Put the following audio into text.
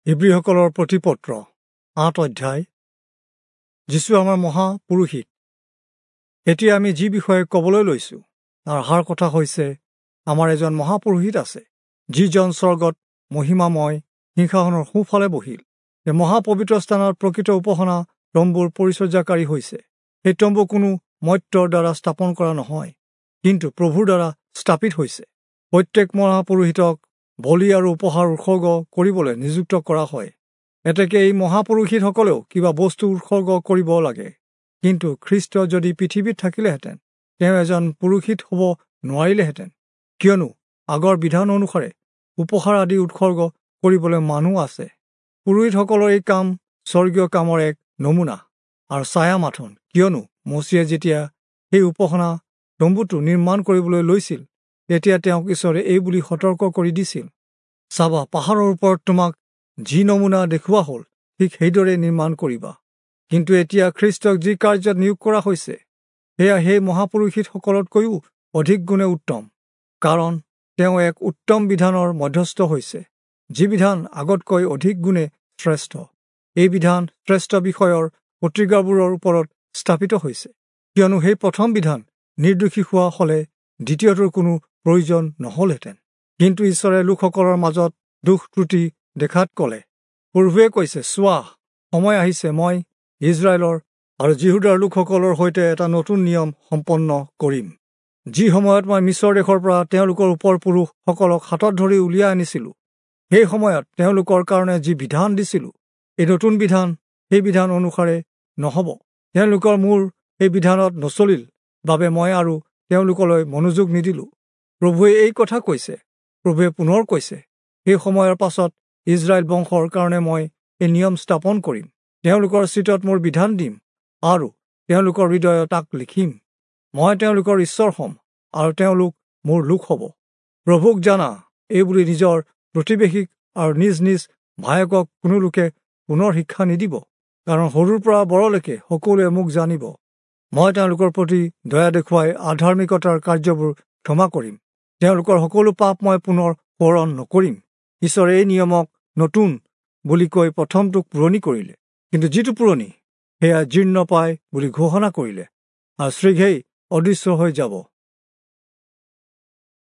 হিব্ৰীসকলৰ প্ৰতিপত্ৰ ৮ অধ্যায়। যীচু আমাৰ মহাপুৰোহিত। এতিয়া আমি যি বিষয়ে ক'বলৈ লৈছোঁ তাৰ সাৰ কথা হৈছে, আমাৰ এজন মহাপুৰোহিত আছে, যিজন স্বৰ্গত মহিমাময় সিংহাসনৰ সোঁফালে বহিল। এই মহাপবিত্ৰ স্থানত প্ৰকৃত উপাসনা তম্বুৰ পৰিচৰ্যাকাৰী হৈছে। সেই তম্বু কোনো মৰ্ত্যৰ দ্বাৰা স্থাপন কৰা নহয়, কিন্তু প্ৰভুৰ দ্বাৰা স্থাপিত হৈছে। প্ৰত্যেক মহাপুৰোহিতক বলি আৰু উপহাৰ উৎসৰ্গ কৰিবলৈ নিযুক্ত কৰা হয়। এতেকে এই মহাপুৰোহিতসকলেও কিবা বস্তু উৎসৰ্গ কৰিব লাগে। কিন্তু খ্ৰীষ্ট যদি পৃথিৱীত থাকিলেহেঁতেন, তেওঁ এজন পুৰোহিত হ'ব নোৱাৰিলেহেঁতেন, কিয়নো আগৰ বিধান অনুসাৰে উপহাৰ আদি উৎসৰ্গ কৰিবলৈ মানুহ আছে। পুৰোহিতসকলৰ এই কাম স্বৰ্গীয় কামৰ এক নমুনা আৰু ছায়া মাথোন, কিয়নো মোচিয়ে যেতিয়া সেই উপাসনা তম্বুটো নিৰ্মাণ কৰিবলৈ লৈছিল, তেতিয়া তেওঁক ঈশ্বৰে এই বুলি সতৰ্ক কৰি দিছিল, চাবা, পাহাৰৰ ওপৰত তোমাক যি নমুনা দেখুওৱা হ'ল, ঠিক সেইদৰে নিৰ্মাণ কৰিবা। কিন্তু এতিয়া খ্ৰীষ্টক যি কাৰ্যত নিয়োগ কৰা হৈছে, সেয়া সেই মহাপুৰোহিতসকলতকৈও অধিক গুণে উত্তম, কাৰণ তেওঁ এক উত্তম বিধানৰ মধ্যস্থ হৈছে, যি বিধান আগতকৈ অধিক গুণে শ্ৰেষ্ঠ। এই বিধান শ্ৰেষ্ঠ বিষয়ৰ প্ৰতিজ্ঞাবোৰৰ ওপৰত স্থাপিত হৈছে, কিয়নো সেই প্ৰথম বিধান নিৰ্দোষী হোৱা হ'লে দ্বিতীয়টোৰ কোনো প্ৰয়োজন নহ'লহেঁতেন। কিন্তু ঈশ্বৰে লোকসকলৰ মাজত দোষ ত্ৰুটি দেখাত ক'লে, প্ৰভুৱে কৈছে, চোৱা, সময় আহিছে, মই ইজৰাইলৰ আৰু যিহূদাৰ লোকসকলৰ সৈতে এটা নতুন নিয়ম সম্পন্ন কৰিম। যি সময়ত মই মিছৰ দেশৰ পৰা তেওঁলোকৰ ওপৰ পুৰুষসকলক হাতত ধৰি উলিয়াই আনিছিলোঁ, সেই সময়ত তেওঁলোকৰ কাৰণে যি বিধান দিছিলোঁ, এই নতুন বিধান সেই বিধান অনুসাৰে নহ'ব। তেওঁলোকৰ মোৰ সেই বিধানত নচলিল বাবে মই আৰু তেওঁলোকলৈ মনোযোগ নিদিলোঁ। প্ৰভুৱে এই কথা কৈছে। প্ৰভুৱে পুনৰ কৈছে, সেই সময়ৰ পাছত ইজৰাইল বংশৰ কাৰণে মই এই নিয়ম স্থাপন কৰিম। তেওঁলোকৰ চিতত মোৰ বিধান দিম আৰু তেওঁলোকৰ হৃদয়ত তাক লিখিম। মই তেওঁলোকৰ ঈশ্বৰ হ'ম আৰু তেওঁলোক মোৰ লোক হ'ব। প্ৰভুক জানা এই বুলি নিজৰ প্ৰতিবেশীক আৰু নিজ নিজ ভায়েকক কোনো লোকে পুনৰ শিক্ষা নিদিব, কাৰণ সৰুৰ পৰা বৰলৈকে সকলোৱে মোক জানিব। মই তেওঁলোকৰ প্ৰতি দয়া দেখুৱাই আধাৰ্মিকতাৰ কাৰ্যবোৰ ক্ষমা কৰিম। তেওঁলোকৰ সকলো পাপ মই পুনৰ সোঁৱৰণ নকৰিম। ঈশ্বৰে এই নিয়মক নতুন বুলি কৈ প্ৰথমটোক পুৰণি কৰিলে, কিন্তু যিটো পুৰণি সেয়া জীৰ্ণ পায় বুলি ঘোষণা কৰিলে আৰু শীঘ্ৰেই অদৃশ্য হৈ যাব।